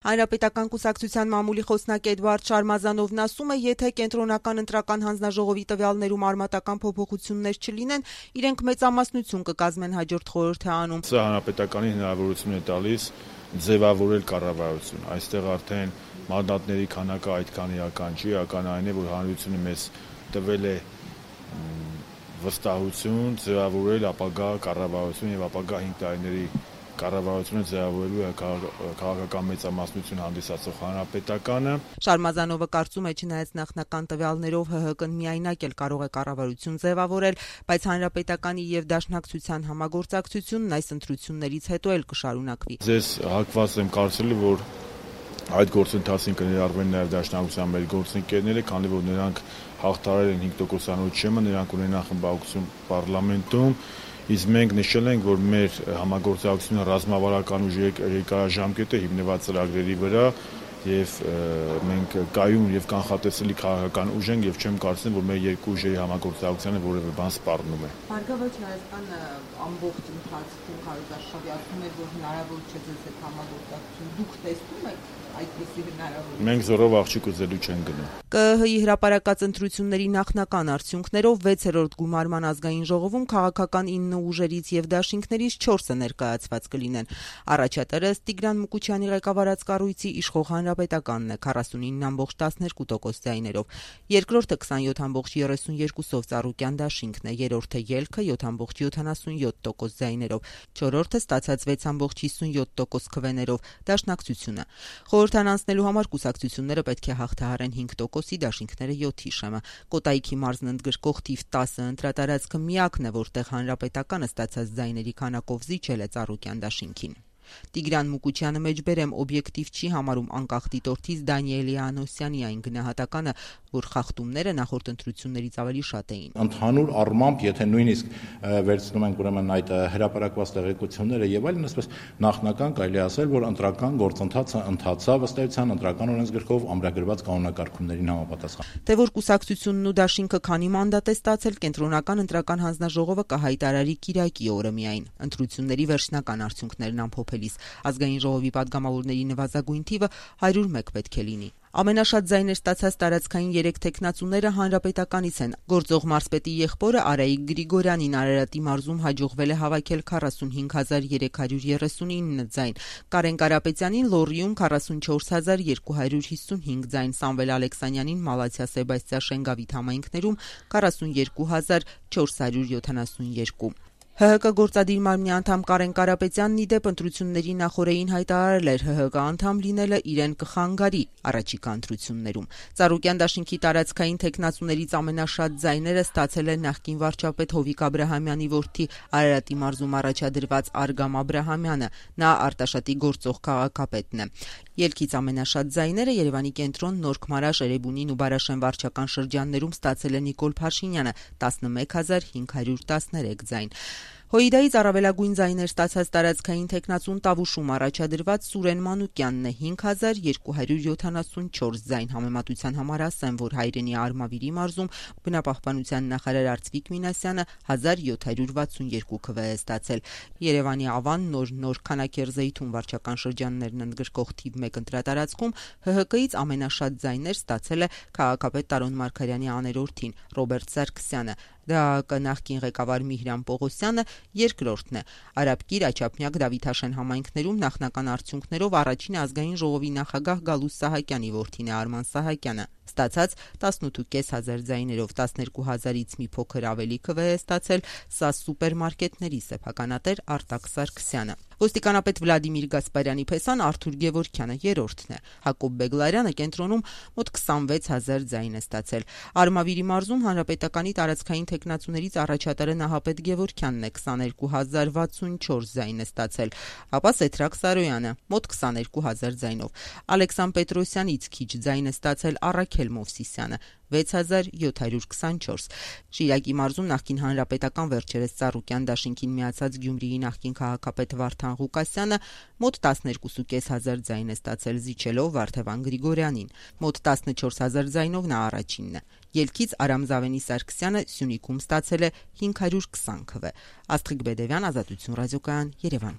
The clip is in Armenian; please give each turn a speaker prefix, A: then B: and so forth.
A: Հանրապետական կուսակցության մամուլի խոսնակ Էդվարդ Շարմազանովն ասում է, եթե կենտրոնական ընտրական հանձնաժողովի տվյալներում արմատական փոփոխություններ չլինեն, իրենք մեծամասնություն կկազմեն հաջորդ խորհրդարանում։
B: Սա հանրապետականի հնարավորություն է տալիս ձևավորել կառավարություն։ Այստեղ արդեն մանդատների քանակը այդքան իրական չի, իրական այն է, որ հանրությունը մեզ տվել է վստահություն ձևավորել ապագա կառավարություն եւ ապագա 5 տարիների կառավարությունը ձևավորելու քաղաքական մեծամասնություն հանդիսացող հանրապետականը։
A: Շարմազանովը կարծում է, չնայած նախնական տվյալներով ՀՀԿ-ն միայնակ էլ կարող է կառավարություն ձևավորել, բայց հանրապետականի եւ դաշնակցության համագործակցությունն այս ընտրություններից հետո էլ կշարունակվի։
B: Ձեզ հակված եմ կարծելու, որ այդ գործընթացին կներառվեն նաեւ դաշնակցության մեր գործընկերները, քանի որ նրանք հաղթարել են 5%-անոց շեմը, նրանք ունենան խմբակցություն պարլամենտում, իսկ մենք նշել ենք, որ մեր համագործակցությունը ռազմավարական ուժի երկարաժամկետ է հիմնված ծրագրերի վրա եւ մենք կայուն եւ կանխատեսելի քաղաքական ուժ ենք եւ չեմ կարծում, որ մեր երկու ուժերի համագործակցությանը որևէ բան սպառնում է։
A: Բարգավաճ Հայաստանը ամբողջ ընթացքում Քարոզարշավի ասում է, որ հնարավոր չէ ձեզ հետ համագործակցություն։ Դուք տեսնում եք այդպիսի հնարավորություն։
B: Մենք զորով աղջիկ ուզելու չենք գնում։
A: ԿԸՀ-ի հրապարակած ընտրությունների նախնական արդյունքներով 6-րդ գումարման ազգային ժողովում քաղաքական 9 ուժերից եւ դաշինքներից 4-ը ներկայացված կլինեն։ Առաջատարը Տիգրան Մուկուչյանի ղեկավարած կառույցի իշխող Հանրապետականն է 49.12% ձայներով, երկրորդը 27.32%-ով Ծառուկյան դաշինքն է, երրորդը Ելքը 7.77% ձայներով, չորրորդը ստացած 6.57% քվեներով Դաշնակցությունը։ Խորհրդան անցնելու համար կուսակցությունները պետք է հաղթահարեն 5%-ի, դաշինքները 7-ի շեմը։ Կոտայքի մարզն ընդգրկող թիվ 10 ընտրատարածքը միակն է, որտեղ Հանրապետականը ստացած ձայների քանակով զիջել է Ծառուկյան դաշինքին։ Տիգրան Մուկուչյանը մեջբերեմ օբյեկտիվ չի համարում անկախ դիտորդից Դանիելի Անոսյանի այն գնահատականը, որ խախտումները նախորդ ընտրություններից ավելի շատ էին։
C: Ընդհանուր առմամբ, եթե նույնիսկ վերցնում ենք ուրեմն այդ հրապարակված տեղեկությունները եւ այլն, ասես նախնական կարելի ասել, որ ընտրական գործընթացը ընթացավ ըստ էության ընտրական օրենսգրքով ամրագրված կանոնակարգումներին համապատասխան։
A: Թե որ կուսակցությունն ու դաշինքը քանի մանդատ է ստացել, կենտրոնական ընտրական հանձնաժողովը կհայտարարի կիրակի օրը միայն։ Ընտրությունների վերջնական արդյունքներն ամփոփելիս ազգային ժողովի падգամավորների նվազագույն թիվը 101 պետք է լինի։ Ամենաշատ ձայներ ստացած տարածքային 3 տեխնացուները հանրապետականից են։ Գործող մարզպետի եղբորը Արայիկ Գրիգորյանին Արարատի մարզում հաջողվել է հավաքել 45339 ձայն, Կարեն Կարապետյանին Լոռիում 44255 ձայն, Սամվել Ալեքսանյանին Մալաթիա Սեբաստիա Շենգավիթ համայնքներում 42472 ՀՀԿ գործադիր մարմնի անդամ Կարեն Կարապետյանն ի դեպ ընտրությունների նախօրեին հայտարարել էր ՀՀԿ անդամ լինելը իրեն կխանգարի առաջիկա ընտրություններում։ Ծառուկյան դաշինքի տարածքային տեխնացուներից ամենաշատ ձայները ստացել է նախկին վարչապետ Հովիկ Աբրահամյանի որդի Արարատի մարզում առաջադրված Արգամ Աբրահամյանը, նա Արտաշատի գործող քաղաքապետն է։ Ելքից ամենաշատ ձայները Երևանի կենտրոն, Նորք-Մարաշ, Էրեբունին ու Բարաշեն վարչական շրջաններում ստացել է Նիկոլ Փաշինյանը 11513 ձայն։ Հոիդայից առավելագույն ձայներ ստացած տարածքային տեխնացուն Տավուշում առաջադրված Սուրեն Մանուկյանն է 5274 ձայն, համեմատության համար ասեմ, որ Հայրենի Արմավիրի մարզում բնապահպանության նախարար Արծվիկ Մինասյանը 1762 քվ է ստացել։ Երևանի Ավան, Նոր Քանաքերզեյթուն վարչական շրջաններն ընդգրկող թիվ 1 ընտրատարածքում ՀՀԿ-ից ամենաշատ ձայներ ստացել է քաղաքապետ Տարոն Մարգարյանի աներորդին Ռոբերտ Սարգսյանը։ ԴԱԿ նախկին ղեկավար Միհրան Պողոսյանը երկրորդն է։ Արաբկիր, Աչափնյակ, Դավիթաշեն համայնքներում նախնական արդյունքներով առաջին ազգային ժողովի նախագահ Գալուս Սահակյանի որդին է Արման Սահակյանը։ Ստացած 18500 ձայներով 12000-ից մի փոքր ավելի քվ է ստացել սա սուպերմարկետների սեփականատեր Արտակ Սարգսյանը։ Ոստիկանապետ Վլադիմիր Գասպարյանի փեսան Արթուր Գևորգյանը երրորդն է։ Հակոբ Բեգլարյանը կենտրոնում մոտ 26000 ձայն է ստացել։ Արմավիրի մարզում հանրապետականի տարածքային տեխնացուներից առաջատարը Նահապետ Գևորգյանն է 22064 ձայն է ստացել, ապա Սեթրակ Սարոյանը մոտ 22000 ձայնով։ Ալեքսան Պետրոսյանից քիչ ձայն է ստացել Առաքել Մովսիսյանը 6724։ Շիրակի մարզում նախկին հանրապետական վերջերս Ծառուկյան դաշինքին միացած Գյումրիի նախկին քաղաքապետ Վարդան Ղուկասյանը մոտ 12500 ձայն է ստացել զիջելով Վարդևան Գրիգորյանին, մոտ 14000 ձայնով նա առաջինն է։ Ելքից Արամ Զավենի Սարգսյանը Սյունիքում ստացել է 520 քվ։ Աստղիկ Բեդևյան, Ազատություն ռադիոկայան, Երևան։